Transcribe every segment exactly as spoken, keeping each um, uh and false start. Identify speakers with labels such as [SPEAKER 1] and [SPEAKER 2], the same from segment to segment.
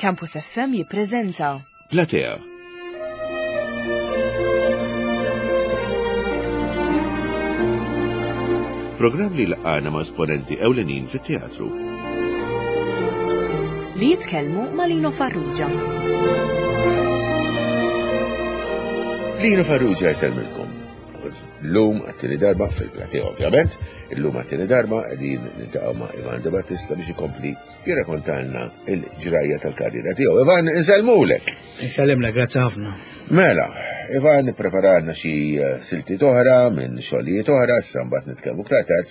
[SPEAKER 1] Campus F M jippreżenta
[SPEAKER 2] Platea. Programm li laqana ma' esponenti ewlenin fit-teatru.
[SPEAKER 1] Li jitkellmu ma' Lino Farrugia.
[SPEAKER 2] Lino Farrugia jsellmilkom. Illum għat-tieni darba fil-Platea ovvjament, illum għat-tieni darba qegħdin niltaqgħu ma' Ivan De Battista biex ikompli jirrakontalna il-ġrajja tal-karriera tiegħu. Ivan, insellmulek.
[SPEAKER 3] Insellimlek, grazzi ħafna.
[SPEAKER 2] Mela, Ivan ippreparalna xi eh, siltiet oħra minn xogħlijiet oħra, issa mbagħad nitkellmu iktar tard.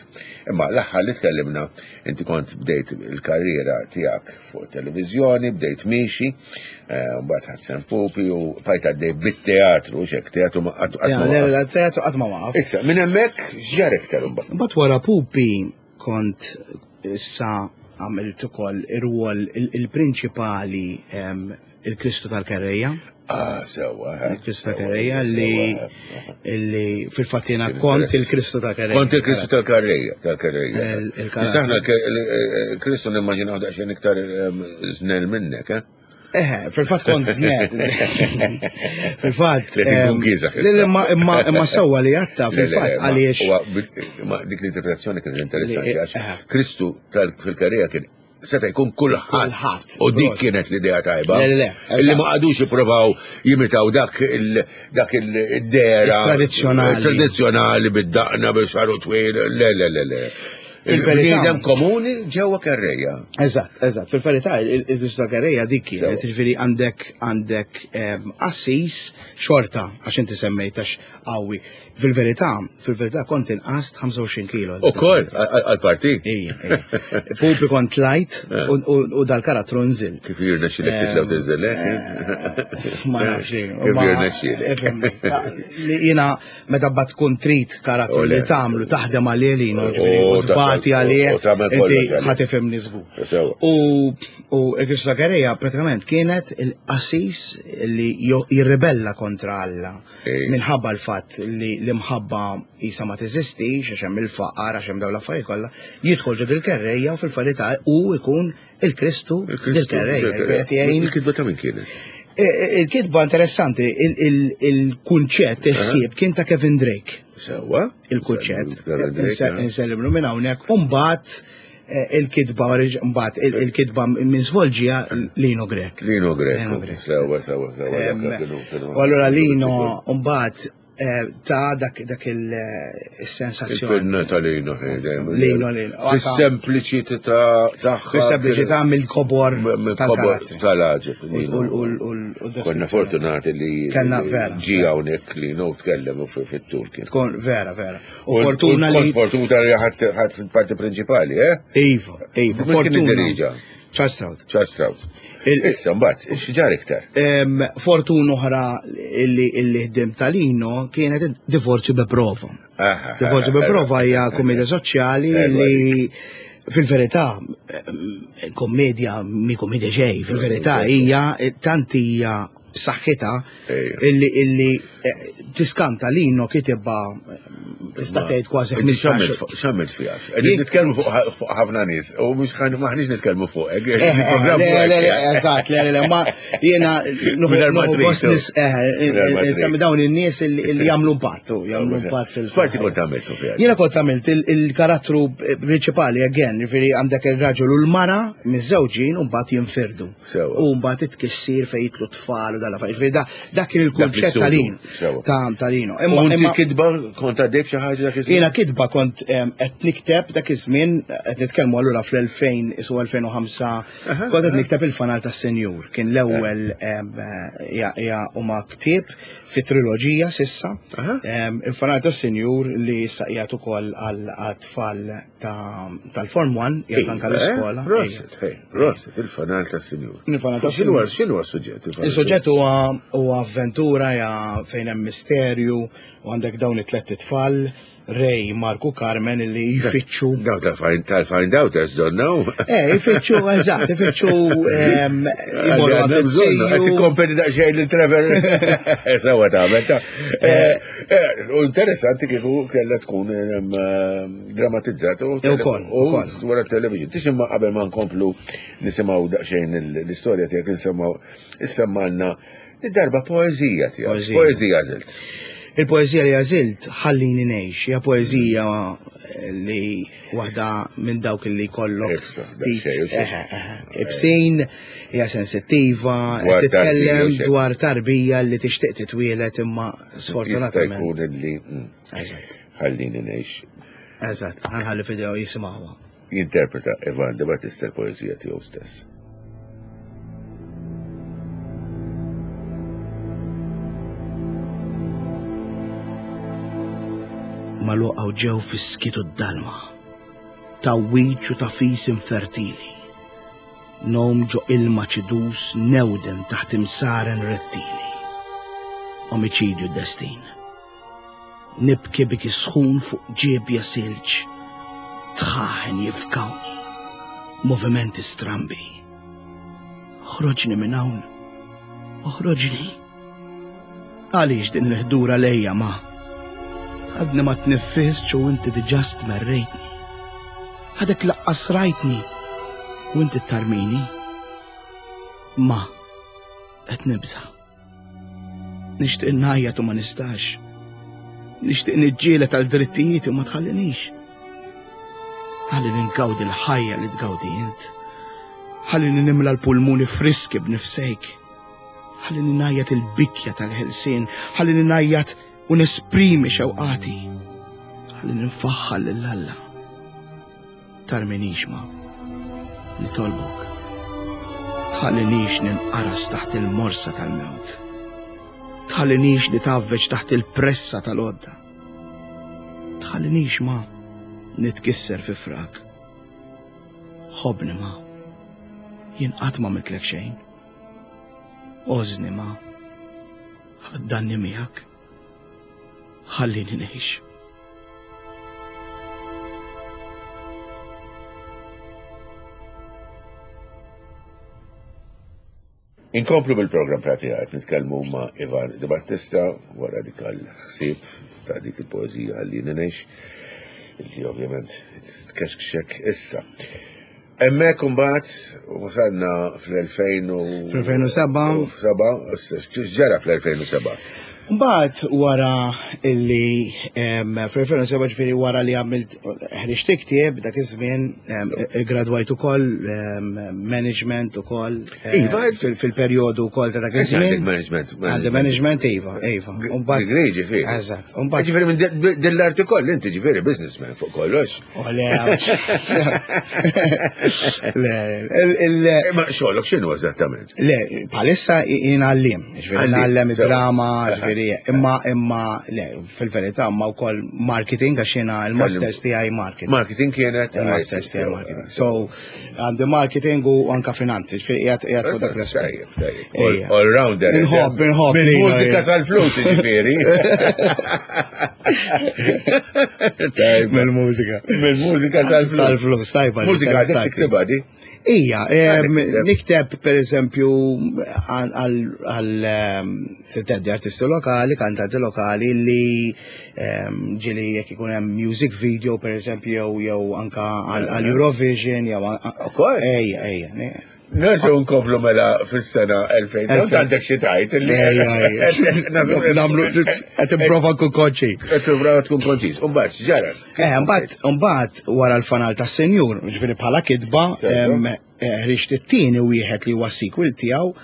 [SPEAKER 2] Imma l-aħħar li tkellimna inti kont bdejt il-karriera tiegħek fuq televiżjoni, bdejt miexi, eh, mbagħad ħadt sehem Pupi u bqajt għaddej bit-teatru, xek teatru ma qatt qatt
[SPEAKER 3] Ja,
[SPEAKER 2] ma
[SPEAKER 3] le,
[SPEAKER 2] waqaf.
[SPEAKER 3] le, teatru qatt ma waqaf.
[SPEAKER 2] Issa, minn hemmhekk x'ġara iktar imbagħad?
[SPEAKER 3] Mbagħad wara Pupi kont issa għamilt ukoll ir-rwol il- il-prinċipali em, il-Kristu tal-Kerrejja.
[SPEAKER 2] Ah, sewwa. eh,
[SPEAKER 3] Il-Kristu
[SPEAKER 2] sewwa,
[SPEAKER 3] tal-Kerrejja li
[SPEAKER 2] sewwa, eh.
[SPEAKER 3] li fil-fatt jiena
[SPEAKER 2] Kien
[SPEAKER 3] kont
[SPEAKER 2] interess.
[SPEAKER 3] il-Kristu tal-Kerrejja.
[SPEAKER 2] Kont il-Kristu tal-Karrejja, tal-Karrejja.
[SPEAKER 3] Il- il-karattru.
[SPEAKER 2] Issa aħna il- il-Kristu nimmaġinaw daqsxejn iktar ehm, żnel minnek, eh?
[SPEAKER 3] Eħe, fil-fatt kont żnel. Fil-fatt.
[SPEAKER 2] Li tkun
[SPEAKER 3] em,
[SPEAKER 2] kiesaħ
[SPEAKER 3] li- li- Ma imma imma sewwa li għatta
[SPEAKER 2] Le, le,
[SPEAKER 3] fil-fatt
[SPEAKER 2] ma-
[SPEAKER 3] għaliex.
[SPEAKER 2] huwa bil- Ma dik l-interpretazzjoni kienet interessanti
[SPEAKER 3] Li-
[SPEAKER 2] għax
[SPEAKER 3] eh.
[SPEAKER 2] Kristu tal fil-karriera kien seta' jkun kulħadd.
[SPEAKER 3] Kulħadd,
[SPEAKER 2] U dik
[SPEAKER 3] proset.
[SPEAKER 2] kienet l-idea tajba.
[SPEAKER 3] Le, le, le,
[SPEAKER 2] Illi
[SPEAKER 3] eżatt.
[SPEAKER 2] ma qagħdux jippruvaw jimitaw dak il dak il-dera.
[SPEAKER 3] Il-tradizzjonali.
[SPEAKER 2] Tradizzjonali bid-daqna bil-xagħru twil. Le, le, le, le.
[SPEAKER 3] Fil-verità.
[SPEAKER 2] Il-bniedem komuni ġewwa kerrejja.
[SPEAKER 3] Eżatt, eżatt. Fil-verità, il-Kristu tal-Kerrejja dik kienet,
[SPEAKER 2] Sewwa.
[SPEAKER 3] ġifieri għandek għandek em, assis xorta, għax inti semmejt għax qawwi. Fil-verità, fil-verità kont inqast ħamsa u għoxrin kilo.
[SPEAKER 2] U koll, għal-parti.
[SPEAKER 3] Ija, ija. Pupi kont tlajt u- u u dal-karattru nżilt.
[SPEAKER 2] Kif jirnexxilek titla' u tinżel, eh?
[SPEAKER 3] Ma nafx.
[SPEAKER 2] Kif
[SPEAKER 3] ma-
[SPEAKER 2] jirnexxilek.
[SPEAKER 3] Ifhimni. Li Jiena meta bat tkun trid karattru
[SPEAKER 2] U le.
[SPEAKER 3] li tagħmlu taħdem għalih li ġifieri,
[SPEAKER 2] U
[SPEAKER 3] u tbati
[SPEAKER 2] taħdem-
[SPEAKER 3] għalih,
[SPEAKER 2] u tagħmel
[SPEAKER 3] inti
[SPEAKER 2] kollox għalih.
[SPEAKER 3] ħa tifhimni żgur.
[SPEAKER 2] Sewwa.
[SPEAKER 3] U u il-Kristu tal-Kerrejja pratikament kienet il-qassis li jo- jirribella kontra Alla
[SPEAKER 2] Ej.
[SPEAKER 3] minħabba l-fatt li l-imħabba jisa ma teżistix, għax hemm il-faqar, għax hemm dawn l-affarijiet kollha, jidħol ġo dil-kerrejja u fil-verità u ikun il-Kristu dil-kerrejja. Qed jgħin
[SPEAKER 2] Il-kitba ta' min kienet?
[SPEAKER 3] E, e, Il-kitba interessanti, il- il- il-kunċett, il-ħsieb kien ta' Kevin Drake.
[SPEAKER 2] Sewwa.
[SPEAKER 3] Il-kunċett.
[SPEAKER 2] Kevin Drake, eh?
[SPEAKER 3] Insellimlu minn hawnhekk. U mbagħad eh, il-kitba mbagħad il- il-kitba minn svolġija Lino Grech.
[SPEAKER 2] Lino Grech.
[SPEAKER 3] Lino Grech.
[SPEAKER 2] Sewwa, sewwa, sewwa.
[SPEAKER 3] Em,
[SPEAKER 2] dak kienu- kienu-
[SPEAKER 3] U allura Lino mbagħad eh, ta' dak dak il-sensazzjoni.
[SPEAKER 2] Il-pinna ta' Lino. eh, dejjem.
[SPEAKER 3] Lino, Lino.
[SPEAKER 2] Fis-sempliċità tagħha.
[SPEAKER 3] Fis-sempliċità mill-kobor tal-karattri.
[SPEAKER 2] Tal-għaġeb.
[SPEAKER 3] U-
[SPEAKER 2] Lino.
[SPEAKER 3] u- u- u- u
[SPEAKER 2] Konna
[SPEAKER 3] deskrizzjoni.
[SPEAKER 2] fortunati li
[SPEAKER 3] Kellna
[SPEAKER 2] li
[SPEAKER 3] vera.
[SPEAKER 2] ġi hawnhekk Lino u tkellem u fi- fit-tul kien.
[SPEAKER 3] Tkun vera, vera. U fortuna
[SPEAKER 2] Kont
[SPEAKER 3] li.
[SPEAKER 2] fortuna li ħadd ħadd fil-parti prinċipali, eh?
[SPEAKER 3] Iva, iva,
[SPEAKER 2] Min kien
[SPEAKER 3] fortuna.
[SPEAKER 2] iddirieġa?
[SPEAKER 3] Charles Stroud.
[SPEAKER 2] Charles Stroud.
[SPEAKER 3] Il-
[SPEAKER 2] Issa mbagħad x'ġar iktar?
[SPEAKER 3] Em, Fortuna oħra illi illi ħdim ta' Lino kienet Divorzju bi prova.
[SPEAKER 2] Aha,
[SPEAKER 3] Divorzju bi prova hija komedja soċjali
[SPEAKER 2] Ejwa.
[SPEAKER 3] li fil-verità em, kommedja mi kommedja xejn, fil-verità hija tant hija saħħitha
[SPEAKER 2] Ejja.
[SPEAKER 3] illi illi eh, tiskanta Lino kitibha eh, tista' tgħid kważi
[SPEAKER 2] Inti
[SPEAKER 3] ħmistax.
[SPEAKER 2] x'għamilt fiha? Qegħdin nitkellmu fuq fuq ħafna nies u mhux ħan- maħniex nitkellmu fuqek.
[SPEAKER 3] Eh,
[SPEAKER 2] Il-programm
[SPEAKER 3] Le,
[SPEAKER 2] fuqek,
[SPEAKER 3] le, le,
[SPEAKER 2] eh.
[SPEAKER 3] eżatt, le, le, le, ma jiena
[SPEAKER 2] Mingħajr ma
[SPEAKER 3] nuħu
[SPEAKER 2] trid,
[SPEAKER 3] gost nis, eh,
[SPEAKER 2] Mingħajr ma trid.
[SPEAKER 3] nsemmi dawn in-nies illi illi jagħmlu impatt, u jagħmlu impatt fil.
[SPEAKER 2] X'parti kont għamiltu fiha?
[SPEAKER 3] Jiena kont għamilt il- il-karattru prinċipali, again, ġifieri għandek il-raġel u l-mara miżżewġin u mbagħad jinfirdu.
[SPEAKER 2] Sewwa.
[SPEAKER 3] U mbagħad it-tkissir fejn jitlu tfal u dal-affarijiet. Ġifieri da- dak kien il-kunċett
[SPEAKER 2] l-istudio.
[SPEAKER 3] ta' Lino.
[SPEAKER 2] Sewwa.
[SPEAKER 3] Ta' ta' Lino.
[SPEAKER 2] U
[SPEAKER 3] Imma
[SPEAKER 2] inti
[SPEAKER 3] imma-
[SPEAKER 2] kitba kont għaddej b'xi ħaġa dak iż-żmien?
[SPEAKER 3] Jiena kitba kont em, qed nikteb dak iż-żmien, qed nitkellmu allura fl-elfejn isu elfejn u ħamsa, kont qed nikteb il-Fanal tas-Senjur. Kien l-ewwel em, hija hija huma ktieb fi triloġija sissa.
[SPEAKER 2] Aha.
[SPEAKER 3] Em, Il-Fanal tas-Senjur li issa qiegħed ukoll għal tfal tal-Form one, qiegħed anke l-iskola.
[SPEAKER 2] Eh, Proset, hey, proset, il-Fanal tas-Sinjur.
[SPEAKER 3] Il-Fanal
[SPEAKER 2] X'inhu
[SPEAKER 3] tas-Sinjur.
[SPEAKER 2] x'inhu s-suġġett? Il-Fanal
[SPEAKER 3] Il-suġġett huwa huwa avventura ja fejn hemm misterju u għandek dawn it-tlet itfal Ray, Marku, Carmen illi jfittxu.
[SPEAKER 2] Daw tal-find outers don't know.
[SPEAKER 3] Eh, jfittxu, eżatt, jfittxu jmorru
[SPEAKER 2] Għandna bżonn, qed tikkompeti daqsxejn lil Trevor. Sewa tagħmel ta' Eh, eh, U interessanti kieku kellha tkun em, eh, drammatizzata u
[SPEAKER 3] Ukoll,
[SPEAKER 2] u
[SPEAKER 3] ukoll.
[SPEAKER 2] wara television. Tix imma qabel ma nkomplu nisimgħu daqsxejn l-istorja tiegħek insemmaw issemmalna id-darba poeżija tiegħek.
[SPEAKER 3] Poeżija.
[SPEAKER 2] Poeżija għażilt.
[SPEAKER 3] Il-poeżija li għażilt ħallini ngħix, hija poeżija li waħda minn dawk li kollok
[SPEAKER 2] Ibsa,
[SPEAKER 3] ftit,
[SPEAKER 2] daqsxejn, u xejn.
[SPEAKER 3] eħe, eħe, ibsin, hija sensittiva,
[SPEAKER 2] Dwar
[SPEAKER 3] qed titkellem
[SPEAKER 2] tarbija u xejn.
[SPEAKER 3] dwar tarbija li tixtieq titwielet imma
[SPEAKER 2] Jista'
[SPEAKER 3] sfortunatament.
[SPEAKER 2] jkun illi mm,
[SPEAKER 3] Eżatt,
[SPEAKER 2] ħallini ngħix
[SPEAKER 3] eżatt, ħa nħalli f'idejhom jisimgħuha.
[SPEAKER 2] jinterpreta Ivan De Battista l-poeżija tiegħu stess.
[SPEAKER 3] Maluqa u ġew fis-skitu d-dalma, ta' wiċ u ta' fis infertili. Nom ġo ilma ċidus newden taħt imsaren rettili. Omiċidju destin. Nibki biki sħun fuq ġiebja silġ. Tħaħen jifkawni. Movimenti strambi. Oħroġni minn hawn. Oħroġni. Għaliex din l-ħdura lejja ma? Għadni ma tniffisx u inti diġà stmerrejtni. Għadek laqqas rajtni u inti tarmini. Ma, qed nibża. Nixtieq ngħajjat u ma nistax. Nixtieq niġġieled għal drittijiet u ma tħallinix. Ħallini ngawdi l-ħajja li tgawdi int. Ħallini nimla l-pulmuni friski b'nifsejk. Ħallini ngħajjat il-bikja tal-ħelsien. Ħallini ngħajjat u nesprimi xewqati. Ħallini nfaħħal lil Alla. Tarminix ma. Nitolbok. Tħallinix ninqaras taħt il-morsa tal-mewt. Tħallinix nitgħaffeġ taħt il-pressa tal-għodda. Tħallinix ma nitkisser fi frak. Ħobni ma. Jien qatt ma għamiltlek xejn. Għożżni ma. Ħaddanni miegħek. Ħallini ngħix.
[SPEAKER 2] Inkomplu bil-program pratika qed nitkellmu ma' Ivan De Battista wara dik għal-ħsieb ta' dik il-poeżija Ħallini Ngħix li ovvjament tkexkxek issa. Hemmhekk imbagħad wasalna fl-elfejn u
[SPEAKER 3] Fl-elfejn u seba'.
[SPEAKER 2] u seba', issa x'ġara fl-elfejn u seba'?
[SPEAKER 3] Mbagħad wara illi em, fl-elfejn u seba' ġifieri wara li għamilt ħriġt ktieb dak iż-żmien em, gradwajt ukoll em, management ukoll em,
[SPEAKER 2] Iva.
[SPEAKER 3] fil- fil-perjodu wkoll ta' dak
[SPEAKER 2] Issa għandek
[SPEAKER 3] iż-żmien.
[SPEAKER 2] management.
[SPEAKER 3] Għandi management iva, iva. U mbagħad-
[SPEAKER 2] Degree ġifieri.
[SPEAKER 3] Eżatt. U mbagħad-
[SPEAKER 2] Ġifieri minn din- din l-artikol inti ġifieri businessman fuq kollox.
[SPEAKER 3] Oh, le, le, il- il-
[SPEAKER 2] Ma xogħlok x'inhu eżattament?
[SPEAKER 3] Le, bħalissa jien għalliem, ġifieri
[SPEAKER 2] Għalliem,
[SPEAKER 3] ngħallem
[SPEAKER 2] sewa.
[SPEAKER 3] id-drama, ġifieri, imma imma le, fil-verità imma wkoll marketing għax jiena il-masters tiegħi marketing.
[SPEAKER 2] Marketing kienet
[SPEAKER 3] Il-masters tiegħi marketing. So għandi marketing u anka finanzi, ġifieri qiegħed qiegħed fuq dak l-aspett.
[SPEAKER 2] Tajjeb, tajjeb.
[SPEAKER 3] Ejja.
[SPEAKER 2] All rounder.
[SPEAKER 3] Inħobb, inħobb.
[SPEAKER 2] Minn
[SPEAKER 3] lina,
[SPEAKER 2] mużika
[SPEAKER 3] ejja.
[SPEAKER 2] sal-flus, ġifieri. Tajjeb.
[SPEAKER 3] Mill-mużika.
[SPEAKER 2] Minn mużika sal-flus.
[SPEAKER 3] Sal-flus, tajba.
[SPEAKER 2] Mużika għadek
[SPEAKER 3] interessanti.
[SPEAKER 2] tiktibha di?
[SPEAKER 3] Ija, em,
[SPEAKER 2] Għadek
[SPEAKER 3] nikteb per eżempju għal em, setteddi artisti lokali, kantanti lokali li em, ġieli jekk ikun hemm music video per eżempju jew jew anka għal għal Eurovision jew
[SPEAKER 2] Ukoll?
[SPEAKER 3] Ejja, ejja. ne-
[SPEAKER 2] Nerġgħu nkomplu mela fis-sena elfejn. Tant għandek xi tajt illi.
[SPEAKER 3] Ejja, ejja. Nagħmlu qed nipprova nkun konċi.
[SPEAKER 2] Qed tipprova tkun konċiż. U mbagħad x'ġara?
[SPEAKER 3] Eh, mbagħad mbagħad wara l-fanal tas-senjur, ġifieri bħala kitba,
[SPEAKER 2] Sewa.
[SPEAKER 3] em, eh, ħriġt it-tieni wieħed li huwa sequel tiegħu,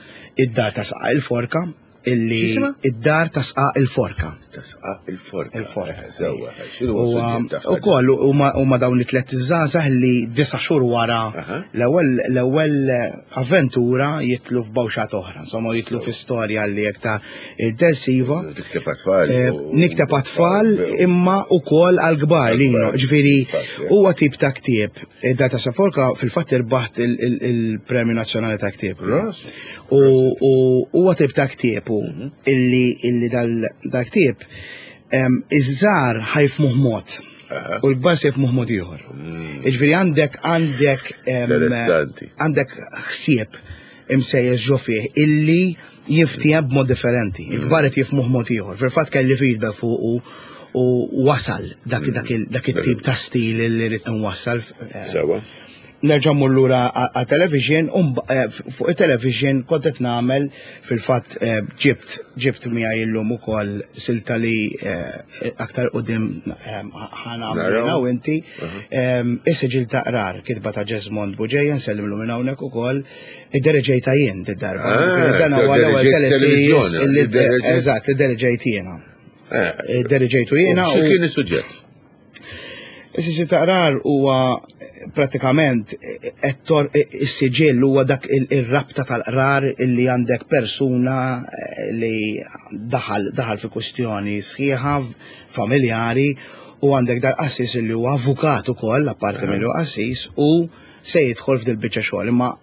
[SPEAKER 3] id-dar ta' sqaq il-forka, illi
[SPEAKER 2] X'jisimha?
[SPEAKER 3] id-dar ta' sqaq il-forka.
[SPEAKER 2] Ta' sqaq il-forka.
[SPEAKER 3] Il-forka.
[SPEAKER 2] Sewa, x'inhu
[SPEAKER 3] U
[SPEAKER 2] s-suġġett tagħha?
[SPEAKER 3] ukoll huma huma dawn it-tliet żgħażagħ li disa' xhur wara
[SPEAKER 2] Aha.
[SPEAKER 3] l-ewwel l-ewwel avventura jitlu f'bawxat oħra, insomma jitlu fi storja li aktar intensiva.
[SPEAKER 2] Tikteb għat-tfal.
[SPEAKER 3] Eh,
[SPEAKER 2] u-
[SPEAKER 3] Nikteb għat-tfal imma ukoll għal-kbar lino, ġifieri
[SPEAKER 2] Fatt,
[SPEAKER 3] huwa tip ta' ktieb. Id-dar ta' Saforka fil-fatt irbaħt il- il- il-Premju Nazzjonali ta' Ktieb.
[SPEAKER 2] Ros.
[SPEAKER 3] U u huwa tip ta' ktieb u illi illi dal dal ktieb Iż-żgħar ħa jifhmuh mod u l-kbar se jifhmuh mod ieħor. Jiġifieri għandek għandek għandek ħsieb imsejjes ġo fih illi jiftiehem b'mod differenti. Il-kbar qed jifhmuh mod ieħor. Fil-fatt kelli feedback fuq u wasal dak dak it-tip ta' stil li rrid nwassal.
[SPEAKER 2] Sewa.
[SPEAKER 3] Nerġa' mmur lura għat-television, fuq it-television kont qed nagħmel fil-fatt ġibt ġibt miegħi llum ukoll silta li aktar quddiem ħa nagħmlu jiena u inti. Is-siġill ta' qrar, kitba ta' Jesmond Bugeja, nsellimlu minn hawnhekk ukoll, iddereġejtha jien did-darba. Dan huwa l-ewwel teleseries illi eżatt, iddereġejt jiena. Iddereġejtu jiena.
[SPEAKER 2] Xi kien is-suġġett?
[SPEAKER 3] Is-siġill ta' qrar huwa pratikament is-siġill huwa dak ir-rabta tal-qrar illi għandek persuna li daħal daħal fi kwistjoni sħiħa familjari u għandek dal-qassis illi huwa avukat ukoll apparti milli huwa qassis u se jidħol f'dil biċċa xogħol imma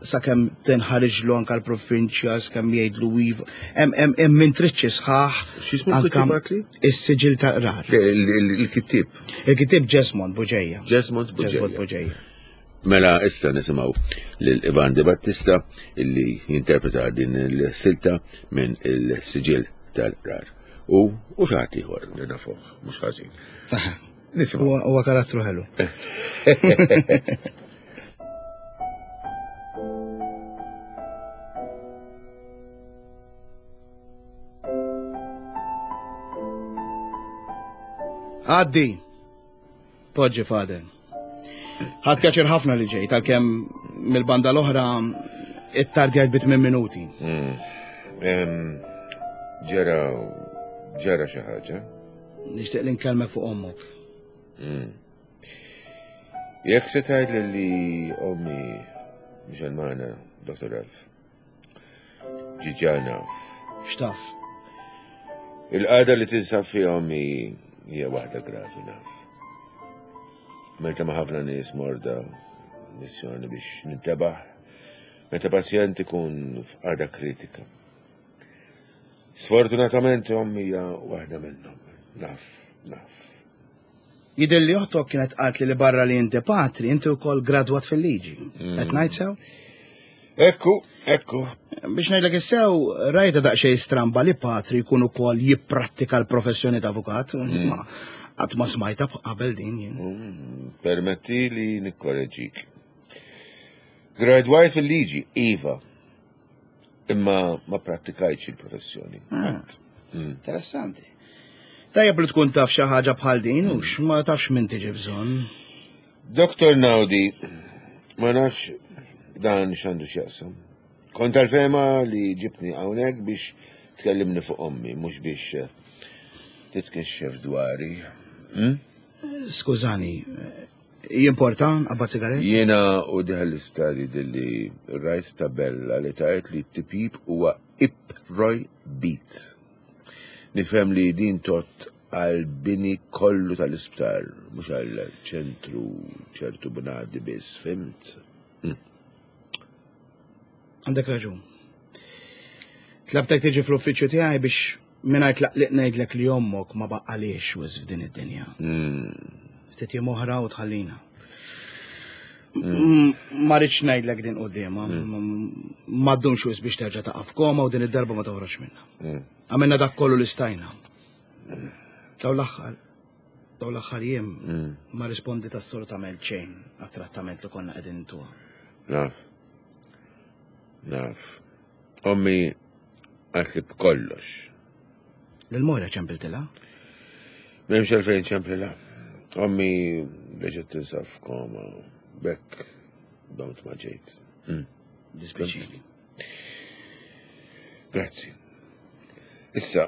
[SPEAKER 3] sakemm tinħariġlu anke l-provinċja sakemm jgħidlu iva hemm hemm intriċċi sħaħ.
[SPEAKER 2] X'ismu l-kittieb?
[SPEAKER 3] Is-siġill tal-qrar.
[SPEAKER 2] Il-kittieb.
[SPEAKER 3] Il-kittieb Jesmond Bugeja.
[SPEAKER 2] Jesmond Bugeja. Mela issa nisimgħu lil Ivan Di Battista illi jinterpreta din il-silta minn il-siġill tal-qrar. U u xi ħadd ieħor li nafuh mhux ħażin.
[SPEAKER 3] Nisimgħu. Huwa karattru ħelu. Għaddi, poġġi Father. Ħadt pjaċir ħafna li ġejt, għalkemm mill-banda l-oħra it-tardjajt bi tmien minuti.
[SPEAKER 2] Ġara, ġara xi ħaġa?
[SPEAKER 3] Nixtieq li nkellmek fuq ommok.
[SPEAKER 2] Jekk se tgħidli li ommi mhux magħna, Doktor Ralph. Ġiġa naf.
[SPEAKER 3] X'taf?
[SPEAKER 2] Il-qagħda li tinsab fiha ommi hija waħda gravi naf. Meta ma ħafna nies morda missjoni biex nintebaħ, meta pazjent ikun f'qagħda kritika. Sfortunatament ommi hija waħda minnhom. Naf, naf.
[SPEAKER 3] Jidher li oħtok kienet qalt li barra li inti patri, inti wkoll gradwat fil-liġi. Qed ngħid sew?
[SPEAKER 2] Ekku, ekku.
[SPEAKER 3] Biex ngħidlek issew, rajta daqsxejn stramba li patri jkun ukoll jipprattika l-professjoni ta' avukat. Ma qatt ma smajta qabel din jien.
[SPEAKER 2] Permetti li nikkoreġik. Gradwajt fil-liġi, iva. Imma ma prattikajtx il-professjoni.
[SPEAKER 3] Interessanti. Tajjeb li tkun taf xi ħaġa bħal din u ma tafx min tiġi bżonn.
[SPEAKER 2] Doktor Naudi, ma nafx dan x'għandu x'jaqsam. Kont tal-fema li ġibni hawnhekk biex tkellimni fuq ommi, mhux biex titkixxef dwari.
[SPEAKER 3] Skużani, jimporta qabad sigaret?
[SPEAKER 2] Jiena u diħel l-isptar jidhirli rajt tabella li tajt li t-tipjib huwa ipprojbit. Nifhem li din tot għal bini kollu tal-isptar, mhux għal ċentru ċertu bnadi biss, fimt?
[SPEAKER 3] Għandek raġun. Tlabtek tiġi fl-uffiċċju tiegħi biex mingħajr tlaqliq ngħidlek li ommok ma baqalix wisq f'din id-dinja. Ftit jiem oħra u tħallina. Ma rridx ngħidlek din quddiemha. Ma ddumx wisq biex terġa' taqa' f'koma u din id-darba ma toħroġ minnha. Għamilna dak kollu li stajna. Daw l-aħħar, daw l-aħħar jiem ma rispondit assolutament xejn għat-trattament li konna qegħdin intuha.
[SPEAKER 2] Naf. Naf. Ommi għatli b'kollox.
[SPEAKER 3] Lil Moira ċempiltilha?
[SPEAKER 2] M'hemmx għalfejn ċemplilha. Ommi reġgħet tinsab f'koma. Bekk domt ma ġejt.
[SPEAKER 3] Dispjaċini.
[SPEAKER 2] Grazzi. Issa,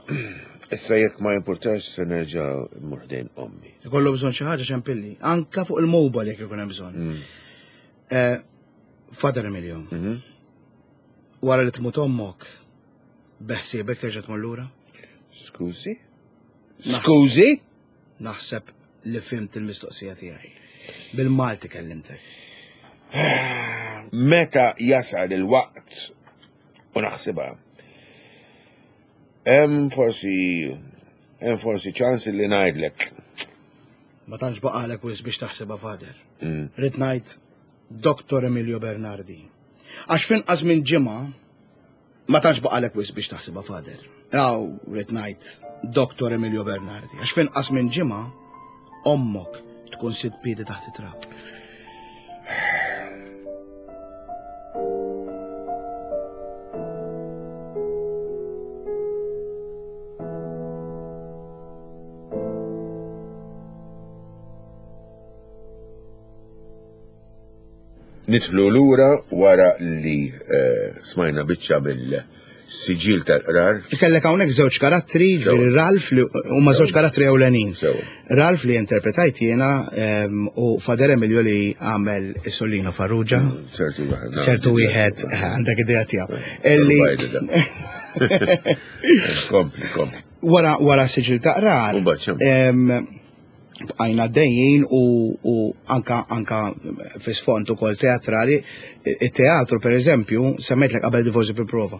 [SPEAKER 2] issa jekk ma jimpurtax se nerġa' mmur ħdejn ommi.
[SPEAKER 3] Ikollu bżonn xi ħaġa ċempilli, anka fuq il-mobile jekk ikun hemm bżonn. Father Emilio, wara li tmut ommok, beħsiebek terġa' tmur lura?
[SPEAKER 2] Skużi? Skużi?
[SPEAKER 3] Naħseb li fimt il-mistoqsija tiegħi. Bil-Malti kellimtek.
[SPEAKER 2] Meta jasal il-waqt u naħsibha, hemm forsi Hemm forsi ċans li ngħidlek.
[SPEAKER 3] Ma tantx baqalek wisq biex taħsibha, Father. Rrid ngħid Doktor Emilio Bernardi. Għax finqas minn ġimgħa ma tantx baqalek wisq biex taħsibha, Father. Aw, rrid ngħid Doktor Emilio Bernardi. Għax finqas minn ġimgħa ommok tkun sitt piedi taħt it-trab.
[SPEAKER 2] Nidħlu lura wara li eh, smajna biċċa mill-siġil tal-qrar.
[SPEAKER 3] Kellek hawnhekk żewġ karattri, ġifieri Ralph li huma żewġ karattri ewlenin.
[SPEAKER 2] Sewa.
[SPEAKER 3] Ralph li interpretajt jiena em, u Father Emilio li għamel Solino Farrugia.
[SPEAKER 2] ċertu wieħed.
[SPEAKER 3] ċertu wieħed eh, għandek idea tiegħu. Illi
[SPEAKER 2] Kompli, kompli.
[SPEAKER 3] wara wara siġil ta' qrar.
[SPEAKER 2] U mbagħad x'hemm?
[SPEAKER 3] em, Bqajna dejjin u, u anka anka fi sfond ukoll teatrali, it-teatru per eżempju, semmejtlek qabel Divorzi bil-Prova.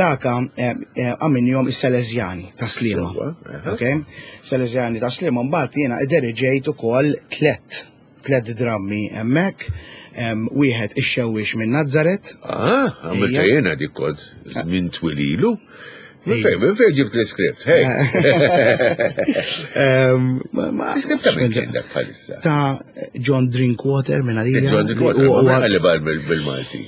[SPEAKER 3] Daka għamilnihom is-Salesjani ta' Sliema.
[SPEAKER 2] Sewa, aha.
[SPEAKER 3] Ok? Salesjani ta' Sliema, mbagħad jiena ideriġejt ukoll tlet tlet drammi hemmhekk, em, wieħed ix-xewwix minn Nazzaret.
[SPEAKER 2] Ah, għamilta
[SPEAKER 3] Ejja.
[SPEAKER 2] jena dik kont minn twililu. Minn fejn, minn fejn ġibt l-iskript, hej.
[SPEAKER 3] Em, ma- ma-
[SPEAKER 2] L-iskript ta' minn kien dak bħalissa.
[SPEAKER 3] Ta' John Drinkwater minn għalija.
[SPEAKER 2] John Drinkwater,
[SPEAKER 3] U-
[SPEAKER 2] ma
[SPEAKER 3] u-
[SPEAKER 2] minn għalli bal bil-Malti.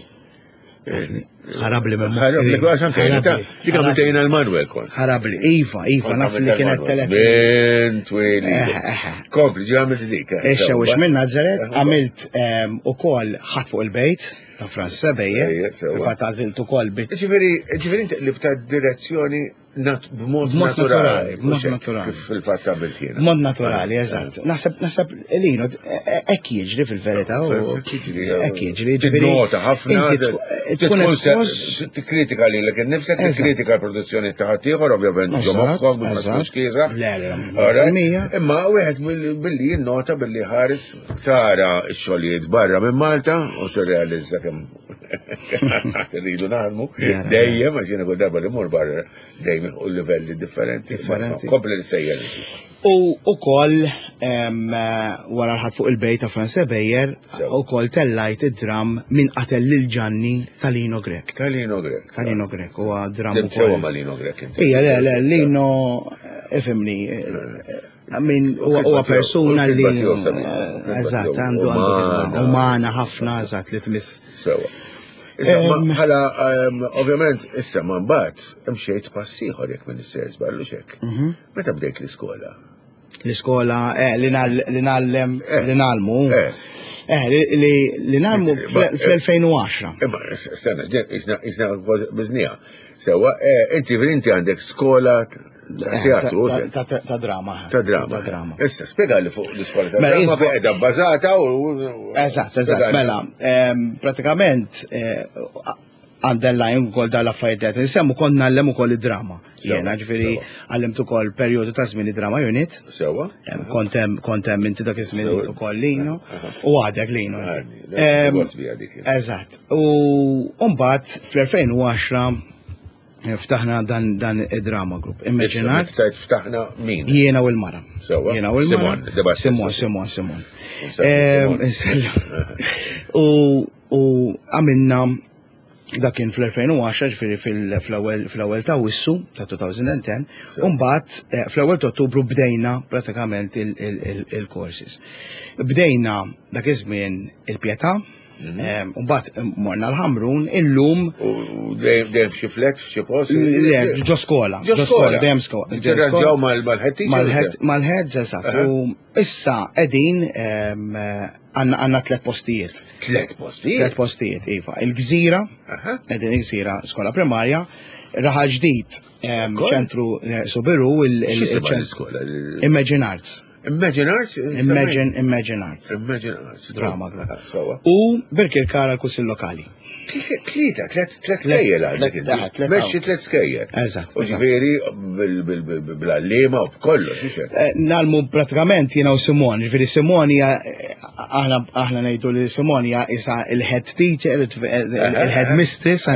[SPEAKER 3] Ħarabli minn
[SPEAKER 2] Ħarabli, għax anke jena ta' dik għamilta jena l-Manuel kont.
[SPEAKER 3] Ħarabli, Iva, Iva, naf li kienet telef.
[SPEAKER 2] Minn twililu.
[SPEAKER 3] Eh, eh, eh.
[SPEAKER 2] Kompli, ġi għamilt dik. eh,
[SPEAKER 3] Ix-xewwix
[SPEAKER 2] sewa.
[SPEAKER 3] minn Nazzaret,
[SPEAKER 2] Eh,
[SPEAKER 3] għamilt em, ukoll ħadd fuq il-bejt ta' Franz Sebejje,
[SPEAKER 2] Ejja, sewa.
[SPEAKER 3] fil-fatt għażilt ukoll bit
[SPEAKER 2] Ġifieri, ġifieri inti li bta' direzzjoni nat- b'mod
[SPEAKER 3] B'mod
[SPEAKER 2] naturali.
[SPEAKER 3] naturali, b'mod
[SPEAKER 2] mhux hekk
[SPEAKER 3] naturali.
[SPEAKER 2] Kif fil-fatt għamilt jiena.
[SPEAKER 3] Mod naturali, eżatt. Naħseb, naħseb, Lino, hekk jiġri fil-verità. u-
[SPEAKER 2] Hekk jiġri,
[SPEAKER 3] Hekk jiġri, ġifieri.
[SPEAKER 2] Tinnota ħafna.
[SPEAKER 3] Inti tku- tkun qed tħoss.
[SPEAKER 2] Tikkritika lilek innifsek,
[SPEAKER 3] Eżatt.
[SPEAKER 2] tikkritika l-produzzjoni ta' ħaddieħor, ovvjament ġo
[SPEAKER 3] Eżatt,
[SPEAKER 2] moħħok, ma
[SPEAKER 3] eżatt.
[SPEAKER 2] tkunx kiesaħ.
[SPEAKER 3] Le, le,
[SPEAKER 2] All right?
[SPEAKER 3] mija.
[SPEAKER 2] Imma wieħed mill- billi jinnota billi ħares tara x-xogħlijiet barra minn Malta u tirrealizza kemm rridu naħdmu.
[SPEAKER 3] Jara.
[SPEAKER 2] Dejjem, għax jiena kull darba li mmur barra dejjem u livelli differenti.
[SPEAKER 3] Differenti.
[SPEAKER 2] Kompli l-sejjer.
[SPEAKER 3] U ukoll em, eh, wara l-ħadd fuq il-bejt ta' Franz Bejer,
[SPEAKER 2] Sewa.
[SPEAKER 3] ukoll tellajt id-dram min qatel lil Ġanni ta' Lino Grech.
[SPEAKER 2] Ta' Lino Grech.
[SPEAKER 3] Ta' Lino Grech huwa dram
[SPEAKER 2] Dem sewa
[SPEAKER 3] ukoll.
[SPEAKER 2] ma' Lino Grech inti.
[SPEAKER 3] Ija, le, le, Lino, eh, ifhimni, eh, min huwa huwa persuna li
[SPEAKER 2] U l-kitba tiegħu sabiħa.
[SPEAKER 3] eh, eżatt, għandu għandu
[SPEAKER 2] Umana.
[SPEAKER 3] kitba umana ħafna, eżatt, li tmiss.
[SPEAKER 2] Sewa. Issa, ma-
[SPEAKER 3] Em,
[SPEAKER 2] bħala, em, ovvjament, issa ma mbagħad imxejt pass ieħor jekk minn issejjer żballu xek.
[SPEAKER 3] Mhm.
[SPEAKER 2] Meta bdejt l-iskola?
[SPEAKER 3] L-iskola, eh, li nall- li nallem,
[SPEAKER 2] Eh.
[SPEAKER 3] li nalmu.
[SPEAKER 2] Eh.
[SPEAKER 3] Eh, li- li li nalmu
[SPEAKER 2] Ma-
[SPEAKER 3] fl-elfejn u għaxra.
[SPEAKER 2] Imma, s- sena, isna isna biznija. Sewa, eh, inti inti għandek skola ta' teatru,
[SPEAKER 3] Eh, Ta- ta- Ta' drama.
[SPEAKER 2] ta' drama.
[SPEAKER 3] Ta' drama.
[SPEAKER 2] Issa, spiega li fuq l-iskola ta'
[SPEAKER 3] Mela,
[SPEAKER 2] drama
[SPEAKER 3] jisbo-
[SPEAKER 2] fejn qiegħda bbażata u.
[SPEAKER 3] Eżatt, eżatt, mela, em, pratikament eh, underline ukoll dal-affarijiet li qed insemmu kont ngħallem ukoll id-drama.
[SPEAKER 2] Sewa,
[SPEAKER 3] Jiena ġifieri
[SPEAKER 2] sewa.
[SPEAKER 3] għallimt ukoll perjodu ta' żmien id-drama unit.
[SPEAKER 2] Sewa.
[SPEAKER 3] Em, Kont hemm kont hemm inti dak iż-żmien
[SPEAKER 2] Sewa.
[SPEAKER 3] ukoll Lino u għadek Lino.
[SPEAKER 2] Għadni, dak
[SPEAKER 3] Em,
[SPEAKER 2] gost bija dik.
[SPEAKER 3] Eżatt. U mbagħad fl-elfejn u għaxra eh, ftaħna dan dan id-drama group. Imagine
[SPEAKER 2] Issa,
[SPEAKER 3] Arts.
[SPEAKER 2] Tajt ftaħna min?
[SPEAKER 3] Jiena u l-mara.
[SPEAKER 2] Sewa.
[SPEAKER 3] Jiena u l-mara.
[SPEAKER 2] Simon, debat.
[SPEAKER 3] Simon, Simon, Simon.
[SPEAKER 2] Simon.
[SPEAKER 3] Em, insellem. U u għamilna dak kien fl-elfejn u għaxra, ġifieri fil- fl-ewwel fl-ewwel ta' Wissu ta' elfejn u għaxra, u mbagħad eh, fl-ewwel ta' Ottubru bdejna pratikament il- il- il- il-courses. Bdejna dak iż-żmien il-Pietà,
[SPEAKER 2] Mhm.
[SPEAKER 3] em, u mbagħad morna l-Ħamrun, illum
[SPEAKER 2] U dejjem dejjem f'xi flet, f'xi post.
[SPEAKER 3] le, ġo skola,
[SPEAKER 2] Ġo skola.
[SPEAKER 3] dejjem skola. ġo
[SPEAKER 2] Tirranġaw
[SPEAKER 3] skola.
[SPEAKER 2] mal- mal-head teacher?
[SPEAKER 3] Mal-head, mal-heads, eżatt.
[SPEAKER 2] Aha.
[SPEAKER 3] U issa qegħdin em, għandna għandna tliet postijiet.
[SPEAKER 2] Tlet postijiet.
[SPEAKER 3] Tliet postijiet, iva. Il-Gżira,
[SPEAKER 2] Aha.
[SPEAKER 3] qegħdin il-Gżira skola primarja, Raħal Ġdid, em,
[SPEAKER 2] Ukoll.
[SPEAKER 3] ċentru eh, Sobiru, il- il-
[SPEAKER 2] X'jisimha
[SPEAKER 3] il-ċentru.
[SPEAKER 2] l-iskola?
[SPEAKER 3] Imagine Arts.
[SPEAKER 2] Imagine Arts?
[SPEAKER 3] Imagine, Imagine Arts.
[SPEAKER 2] Imagine Arts.
[SPEAKER 3] Drama group.
[SPEAKER 2] Aha, Sewa.
[SPEAKER 3] U Birkirkara l-Kunsill Lokali.
[SPEAKER 2] Tlieta, tliet tliet skejjel għandek inti. Mexxi tliet skejjel.
[SPEAKER 3] Eżatt.
[SPEAKER 2] U ġifieri bl-għalliema u b'kollox, hux hekk?
[SPEAKER 3] Eh, Nagħmlu pratikament jiena u Simon, ġifieri Simon hija aħna aħna ngħidu li Simon hija isa il-head teacher, il-head mistress,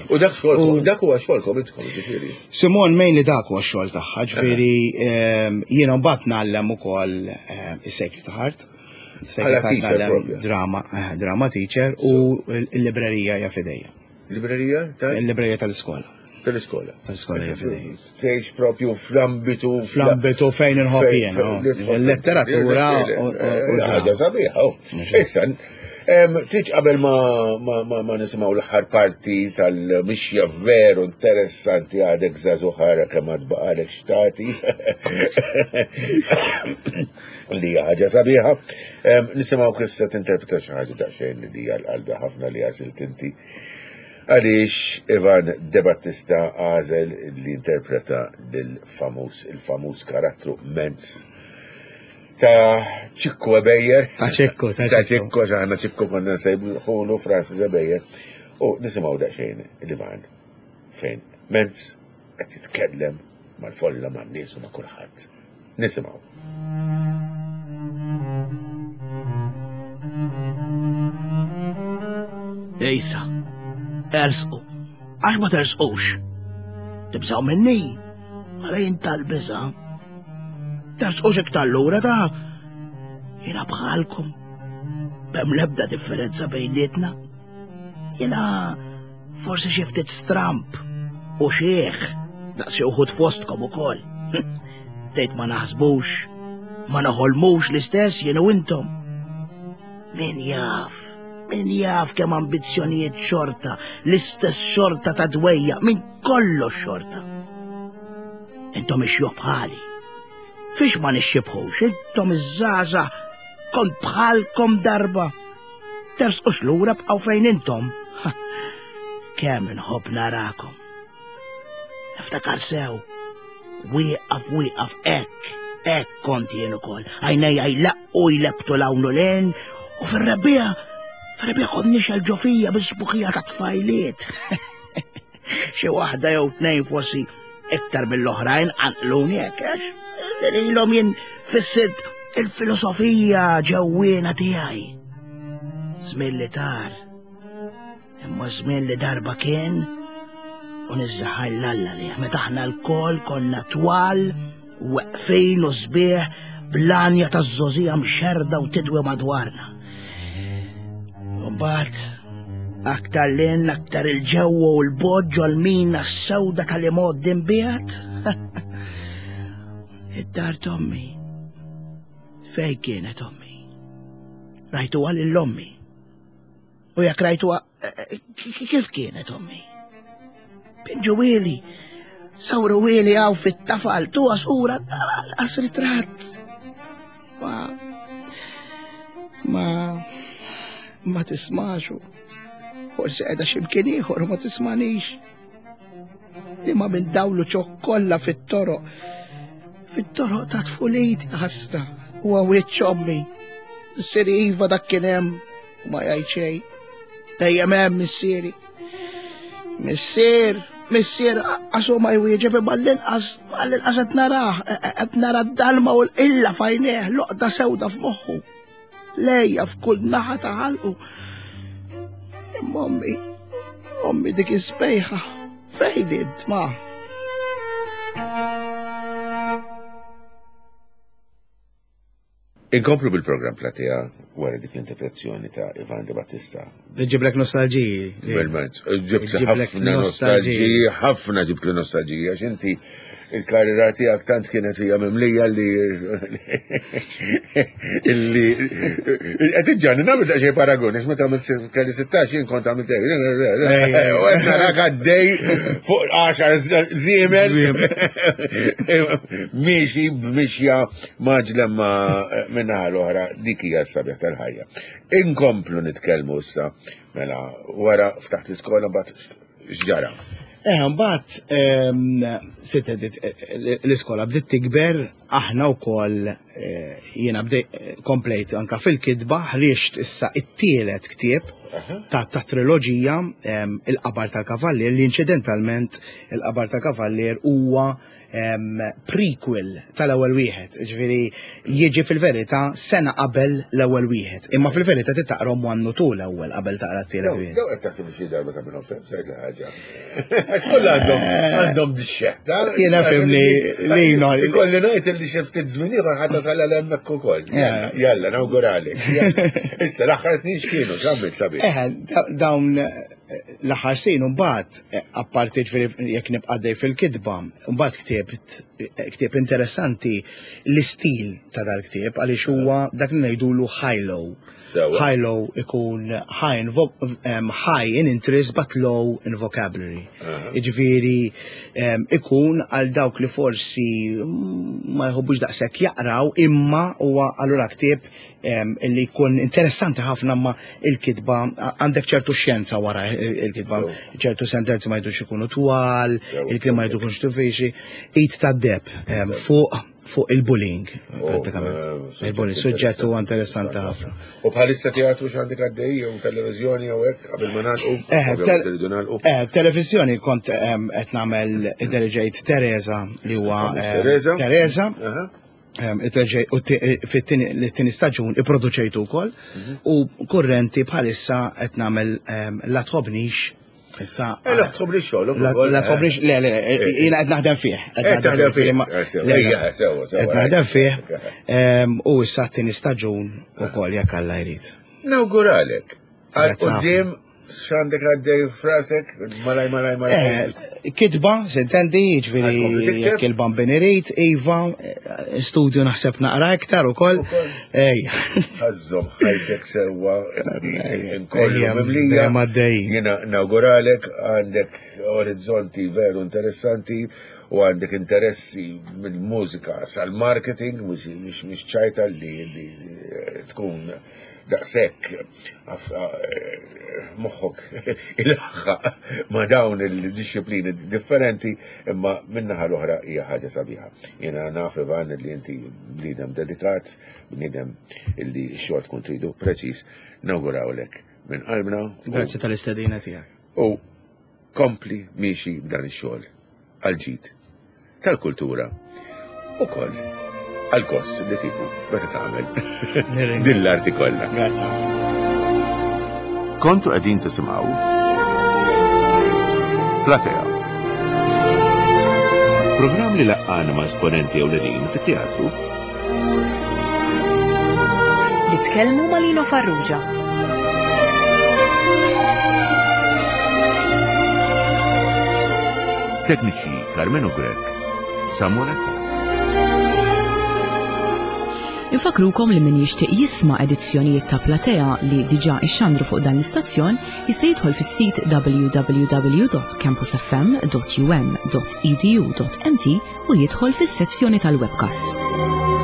[SPEAKER 2] U dak xogħolkom, dak huwa xogħolkom intkom, ġifieri.
[SPEAKER 3] Simon mainly dak huwa x-xogħol tagħha, ġifieri ehm, jiena mbagħad ngħallem ukoll ehm, is-Sacred Heart.
[SPEAKER 2] Bħala teacher propja.
[SPEAKER 3] Drama, eh, drama teacher u l-librerija hija f'idejja.
[SPEAKER 2] Librerija tal-
[SPEAKER 3] Il-librerija tal-iskola.
[SPEAKER 2] tal-iskola.
[SPEAKER 3] Tal-iskola hija f'idejja.
[SPEAKER 2] Tgħix propju fl-ambitu.
[SPEAKER 3] Fl-ambitu fejn inħobb
[SPEAKER 2] fejn-
[SPEAKER 3] jien,
[SPEAKER 2] fejn-
[SPEAKER 3] oh.
[SPEAKER 2] li tħobb-
[SPEAKER 3] Il-letteratura
[SPEAKER 2] Eh,
[SPEAKER 3] u- u- u
[SPEAKER 2] Ħaġa
[SPEAKER 3] drama.
[SPEAKER 2] sabiħa, oh. Issa, em, tiġ qabel ma, ma, ma, ma nisimgħu l-aħħar parti tal-mixja veru interessanti għadek żagħżugħ ara kemm għad baqalek xtati. Li hija ħaġa sabiħa. Em, Nisimgħu kif se tinterpreta xi ħaġa daqsxejn li hija l-qalbi ħafna li għażilt inti. Għaliex Ivan De Battista għażel li interpreta lil-famuż, il-famuż karattru Menz ta' Ċikku Ebejer.
[SPEAKER 3] Ta' Ċikku, ta'
[SPEAKER 2] Ta'
[SPEAKER 3] Ċikku.
[SPEAKER 2] Ċikku, aħna Ċikku konna nsejħulu Francis Ebejer. U nisimgħu daqsxejn l-Ivan fejn Menz qed jitkellem mal-folla man-nies u ma' kulħadd. Nisimgħu.
[SPEAKER 4] Ejsa, ersqu. Għax ma tersqux. Tibżaw minni. Għala jien tal-biża. Tersqux iktar lura ta' jiena bħalkom. B'hemm lebda differenza bejnietna. Jiena forsi xi ftit stramp u xieħ daqs xi wħud fostkom ukoll. Tgħid ma naħsbux, ma noħolmux l-istess jien u intom. Min jaf, min jaf kemm ambizzjonijiet xorta, l-istess xorta ta' dwejja, min kollox xorta. Intom ixjuħ bħali. Fiex ma nixxibħux, intom iż-żgħażagħ kont bħalkom darba. Tersqux lura bqgħu fejn intom. Ha, Kemm inħobb narakom. Niftakar sew, wieqaf wieqaf hekk, hekk kont jien ukoll. Għajnejja jlaqqu jlebbtu 'l hawn u 'l hinn, u fir-rebbiegħa, fir-rebbiegħa kont nixgħel ġo fija bis-sbuħija ta' tfajliet. Xi waħda jew tnejn forsi iktar mill-oħrajn qanqluni hekk għax lilhom jien fissirt il-filosofija ġewwiena tiegħi. Żmien li tar, imma żmien li darba kien u niżżaħar l-Alla li meta aħna lkoll konna twal, weqfin u sbieħ bl-għanja taż-żgħożija mxerrda u tidwi madwarna. Mbagħad aktar 'l hinn, aktar 'il ġewwa u 'l bogħod ġol-mina s-sewda tal-imgħoddi mbiegħed. Id-dar t'ommi. Fej kienet ommi? Rajtuha lil ommi. U jekk rajtuha, eh, kif kienet ommi? Pinġuhieli, sawruhieli hawn fit-tafal, tuha sura, lanqas ritratt. Ma, ma, ma tismaxu. Forsi qiegħda x'imkien ieħor u ma tismanix. Imma minn dawlu ċokkolla fit-toroq. Fit-toroq ta' tfuliti ħasra u wiċċ ommi. Missieri iva dak kien hemm u ma jgħid xejn. Dejjem hemm missieri. Missier, missier, għasu ma jwieġeb imma l-inqas, l-inqas qed narah, qed nara d-dalma u l-illa f'għajnejh, loqda sewda f'moħħu. Lejja f'kull naħa ta' ħalqu. Imma ommi, ommi dik is-sbejħa, fejn int ma?
[SPEAKER 2] Inkomplu bil-programm Platea wara dik l-interpretazzjoni ta' Ivan De Battista.
[SPEAKER 3] Ġiblek nostalġiji.
[SPEAKER 2] Bil-mezz. Ġibt li
[SPEAKER 3] Ġiblek
[SPEAKER 2] ħafna nostalġiji, ħafna ġibt li nostalġiji, għax inti il-karriera tiegħek tant kienet hija mimlija li illi qed iġġani nagħmel daqsxejn paragun, għax meta għamilt kelli sittax jien kont għamilt hekk. U qed narak għaddej fuq għaxar żiemel miexi b'mixja maġla ma' minnaħa l-oħra dik hija s-sabiħ tal-ħajja. Inkomplu nitkellmu issa mela wara ftaħt l-iskola mbagħad x'ġara.
[SPEAKER 3] Eh, mbagħad ehm, sitt edit eh, l-iskola bdiet tikber, aħna wkoll eh, jiena bdej komplejt anka fil-kitba, ħriġt issa it-tielet ktieb ta' ta' triloġija ehm, Il-Qabar tal-Kavallier, li inċidentalment Il-Qabar tal-Kavallier huwa ehm, prequel tal-ewwel wieħed, ġifieri jiġi fil-verità sena qabel l-ewwel wieħed, imma fil-verità titaqrom one u two l-ewwel qabel taqra t-tielet wieħed.
[SPEAKER 2] Daw qed taħseb xi darba ta' minnhom fem, sajt ħaġa. Għax kollha għandhom għandhom dixxeħta.
[SPEAKER 3] Jiena fimni li no-
[SPEAKER 2] Ikolli ngħid li xi ftit żmien ieħor ħadd tasal għal hemmhekk ukoll. Jalla, nawguralek. Issa l-aħħar snin x'kienu, x'għamilt sabiħ.
[SPEAKER 3] Eh, da- dawn eh, l-aħħar snin mbagħad eh, apparti ġifieri jekk nibqa' dej fil-kitba, mbagħad ktibt eh, ktieb interessanti l-istil ta' dal-ktieb għaliex huwa dak li ngħidulu high-low.
[SPEAKER 2] Sewwa.
[SPEAKER 3] High-low ikun high in, vo um, high in interest but low in vocabulary. Jiġifieri um, ikun għal dawk li forsi mm, ma jħobbux daqshekk jaqraw imma huwa allura ktieb um, illi jkun interessanti ħafna ma il-kitba għandek ċertu xjenza wara il-kitba, ċertu sentenzi ma jdux ikunu twal, il-kliem ma jdukunx diffiċli, Id tad-deheb um, fuq fuq il-bullying, prattikament.
[SPEAKER 2] eh,
[SPEAKER 3] Il-bullying, suġġett huwa interessanti ħafna.
[SPEAKER 2] U bħalissa teatru x'għandek għaddej jew televiżjoni jew hekk qabel ma nagħlqu?
[SPEAKER 3] Eh,
[SPEAKER 2] Ovvjament
[SPEAKER 3] tel-
[SPEAKER 2] irridu nagħlqu.
[SPEAKER 3] Eh, televizjoni kont em, qed nagħmel idderġejt Teresa li huwa
[SPEAKER 2] Famuż
[SPEAKER 3] em,
[SPEAKER 2] Teresa.
[SPEAKER 3] Teresa.
[SPEAKER 2] Aha.
[SPEAKER 3] Em, idderġej- u ti- fit-tieni l-tieni staġun ipproduċejtu wkoll u kurrenti bħalissa qed nagħmel em, La Tħobnix issa.
[SPEAKER 2] Eh, La Tħobnix xogħol
[SPEAKER 3] La
[SPEAKER 2] ukoll,
[SPEAKER 3] La
[SPEAKER 2] eh.
[SPEAKER 3] Tħobnix, le, le, jiena qed naħdem fih.
[SPEAKER 2] Eh, taħdem fih.
[SPEAKER 3] ma-
[SPEAKER 2] Eh, sewa,
[SPEAKER 3] le, le,
[SPEAKER 2] ejja, sewa, sewa,
[SPEAKER 3] Qed naħdem fih
[SPEAKER 2] eh.
[SPEAKER 3] em, u issa t-tieni staġun ukoll jekk Alla jrid.
[SPEAKER 2] Nawguralek. Għal
[SPEAKER 3] Grazzi ħafna.
[SPEAKER 2] quddiem x'għandek għaddej frasek, malaj, malaj, malaj.
[SPEAKER 3] Eh, kitba, s'intendi,
[SPEAKER 2] Għax kompli
[SPEAKER 3] ġifieri
[SPEAKER 2] tikteb?
[SPEAKER 3] jekk il-bambin irid, Iva, eh, studio naħseb naqra iktar ukoll.
[SPEAKER 2] Ukoll.
[SPEAKER 3] Ej,
[SPEAKER 2] Ħażżom ħajtek sewwa, inkollu
[SPEAKER 3] Ejja,
[SPEAKER 2] mimlija.
[SPEAKER 3] dejjem għaddejjin.
[SPEAKER 2] Jiena nawguralek, għandek orizzonti veru interessanti u għandek interessi mill-mużika sal-marketing, mhux mhux mhux ċajta li li tkun daqshekk aff- eh, moħħok il-ħaq ma' dawn il-disciplini differenti, imma minnaħa l-oħra hija ħaġa sabiħa. Jiena naf Ivan li inti bniedem dedikat, bniedem illi x-xogħol tkun tridu preċiż, nawgurawlek minn qalbna u-
[SPEAKER 3] Grazzi tal-istedina tiegħek.
[SPEAKER 2] u kompli miexi b'dan ix-xogħol għal-ġid tal-kultura u koll għal-kost li tieħu meta tagħmel
[SPEAKER 3] Nirringrazzja.
[SPEAKER 2] din l-arti kollha.
[SPEAKER 3] Grazzi ħafna.
[SPEAKER 2] Kontu qegħdin tisimgħu Platea. Programm li laqqana ma' esponenti ewlenin fit-teatru
[SPEAKER 1] Li tkellmu ma' Lino Farrugia.
[SPEAKER 2] Tekniċi Carmenu Grek, Samuel Attard.
[SPEAKER 1] Infakrukom li min jixtieq jisma' edizzjonijiet ta' Platea li diġà ixxandru fuq dan l-istazzjon jista' jidħol fis-sit w w w dot campusfm dot u m dot e d u dot m t u jidħol fis-sezzjoni tal-webcasts.